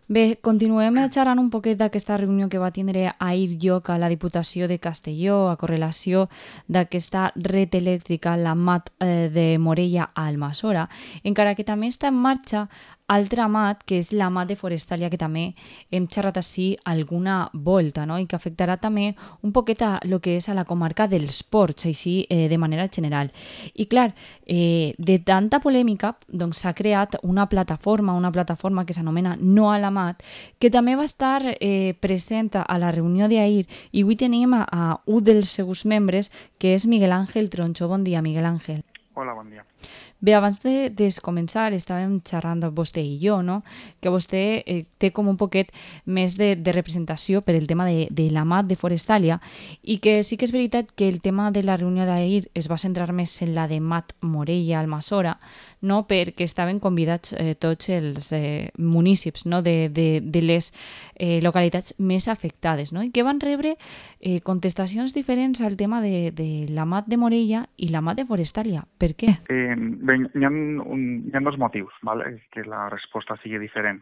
Bé, continuem xerrant un poquet d'aquesta reunió que va tindre ahir lloc a la Diputació de Castelló a correlació d'aquesta red elèctrica, la MAT de Morella a Almassora, encara que també està en marxa altra MAT, que és la MAT de Forestalia, que també hem xerrat així alguna volta, no? I que afectarà també un poquet a lo que és a la comarca dels Ports, així de manera general. I clar, de tanta polèmica doncs s'ha creat una plataforma que s'anomena No a la MAT, que també va estar present a la reunió d'ahir, i avui tenim a un dels seus membres, que és Miguel Ángel Troncho. Bon dia, Miguel Ángel. Hola, bon dia. Bé, abans de començar estàvem xerrant vostè i jo, no? Que vostè té com un poquet més de representació per el tema de la MAT de Forestalia, i que sí que és veritat que el tema de la reunió d'ahir es va centrar més en la de MAT Morella Almassora, no? Perquè estaven convidats tots els municipis, no? de les localitats més afectades, no? I que van rebre contestacions diferents al tema de la MAT de Morella i la MAT de Forestalia. Per què? Bé, hi ha dos motius, ¿vale? Que la resposta sigui diferent.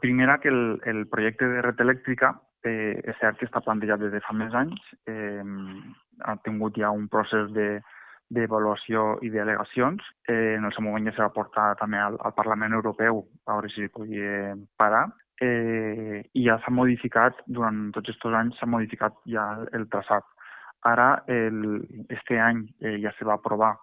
Primera, que el projecte de red elèctrica és cert que està plantejat des de fa més anys, ha tingut ja un procés d'avaluació i d'al·legacions. En el seu moment ja s'ha va portar també al Parlament Europeu a veure si podia parar. I ja s'ha modificat, durant tots aquests anys s'ha modificat ja el traçat. Ara, este any ja se va aprovar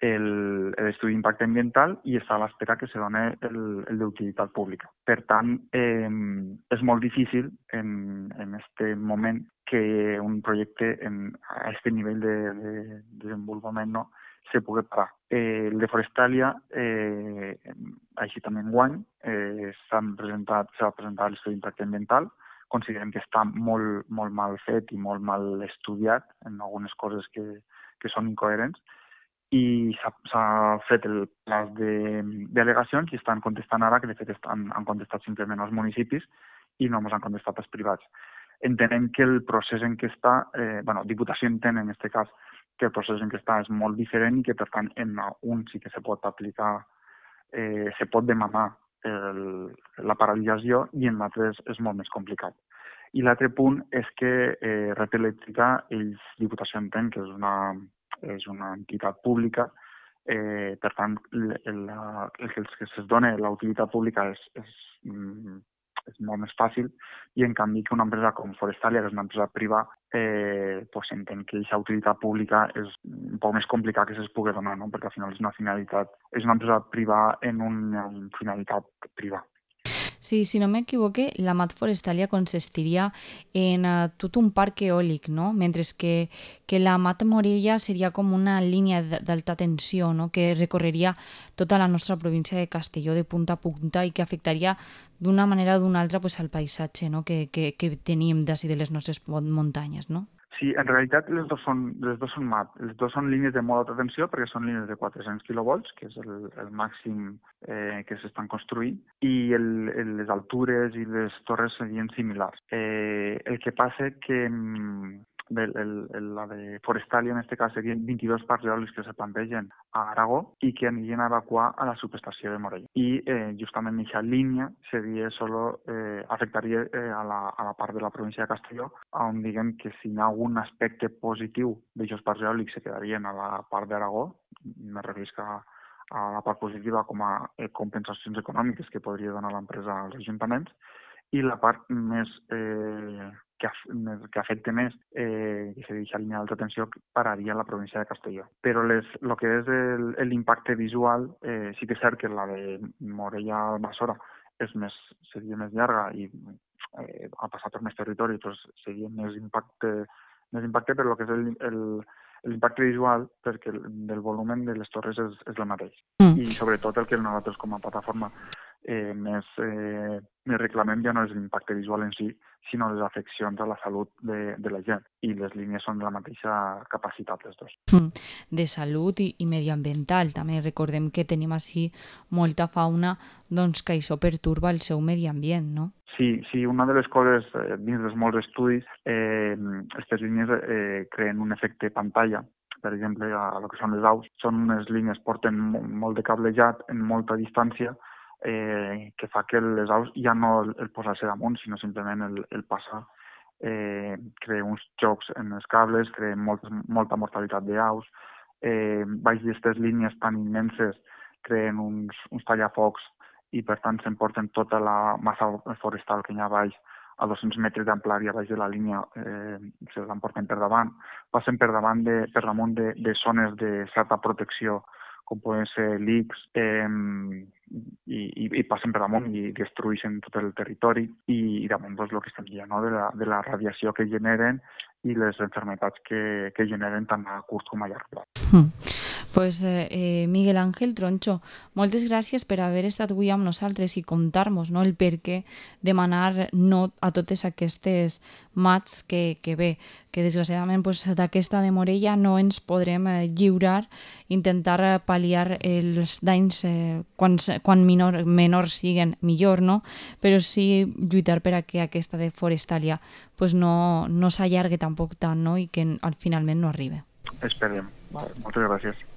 l'estudi d'impacte ambiental i està a l'espera que se doni el d'utilitat pública. Per tant, és molt difícil en este moment que un projecte a aquest nivell de desenvolupament no, se pugui parar. El de Forestalia, així també enguany, s'ha presentat l'estudi d'impacte ambiental. Considerem que està molt mal fet i molt mal estudiat en algunes coses que són incoherents, i s'ha fet el plaç d'al·legacions i estan contestant ara, que de fet han contestat simplement els municipis i no ens han contestat els privats. Entenem que el procés en què està, Diputació entén en aquest cas que el procés en què està és molt diferent i que per tant en un sí que se pot aplicar, se pot demanar la paralització i en l'altre és molt més complicat. I l'altre punt és que Red Elèctrica, Diputació entén que és una entitat pública, per tant, el que se'ls dona la utilitat pública és molt més fàcil, i en canvi que una empresa com Forestalia, que és una empresa privada, entén que aquesta utilitat pública és un poc més complicat que se'ls pugui donar, no? Perquè al final és una empresa privada en una finalitat privada. Sí, si no m'equivoque, la MAT Forestalia consistiria en tot un parc eòlic, no? Mentre que la MAT Morella seria com una línia d'alta tensió, no? Que recorreria tota la nostra província de Castelló de punta a punta i que afectaria d'una manera o d'una altra pues, al paisatge, no? que tenim d'ací de les nostres muntanyes, no? Sí, en realitat les dos són MAT. Les dos són línies de molt alta tensió perquè són línies de 400 kV, que és el màxim que s'estan construint, i les altures i les torres serien similars. El que passa que la de Forestalia, en aquest cas, serien 22 parcs eòlics que se plantegen a Aragó i que anirien a evacuar a la subestació de Morella. I justament aquesta línia afectaria a la part de la província de Castelló, on diguem que si hi ha algun aspecte positiu d'aquests parcs eòlics se quedarien a la part d'Aragó, me referisc a la part positiva com a compensacions econòmiques que podria donar l'empresa als ajuntaments, i la part més que afecta més, que se deixa línia d'alta tensió, pararia la província de Castelló. Però el que és l'impacte visual, sí que és cert que la de Morella Almassora seria més llarga i ha passat per més territori, doncs seria més impacte, però el que és l'impacte visual, perquè del volumen de les torres és el mateix. I sobretot el que nosaltres com a plataforma més reclamem ja no és l'impacte visual en si, sinó les afeccions a la salut de la gent. I les línies són de la mateixa capacitat, les dues. De salut i medioambiental. També recordem que tenim així molta fauna doncs, que això perturba el seu medi ambient, no? Sí, una de les coses, dins dels molts estudis, aquestes línies creen un efecte pantalla. Per exemple, a el que són les aus, són unes línies, porten molt de cablejat en molta distància, que fa que les aus ja no el posar-se damunt, sinó simplement el passar crea uns xocs en els cables, crea molta mortalitat d'aus, baix d'aquestes línies tan immenses creen uns tallafocs i per tant s'emporten tota la massa forestal que hi ha baix a 200 metres d'amplària baix de la línia, se l'emporten per davant, passen per damunt de zones de certa protecció com poden ser LICs, i passen per damunt i destrueixen tot el territori i damunt doncs, el que estem dient, no? de la radiació que generen i les enfermetats que generen tant a curt com a llarg plaç. Pues Miguel Ángel Troncho, moltes gràcies per haver estat avui amb nosaltres i contar-nos, no, el per què demanar no a totes aquestes mats que bé, que desgraciadament pues, d'aquesta de Morella no ens podrem lliurar, intentar pal·liar els danys quan menors siguen millor, no? Però sí lluitar per a que aquesta de Forestalia pues, no s'allargue tampoc tant, no? I que finalment no arribi. Esperem. Vale, moltes gràcies.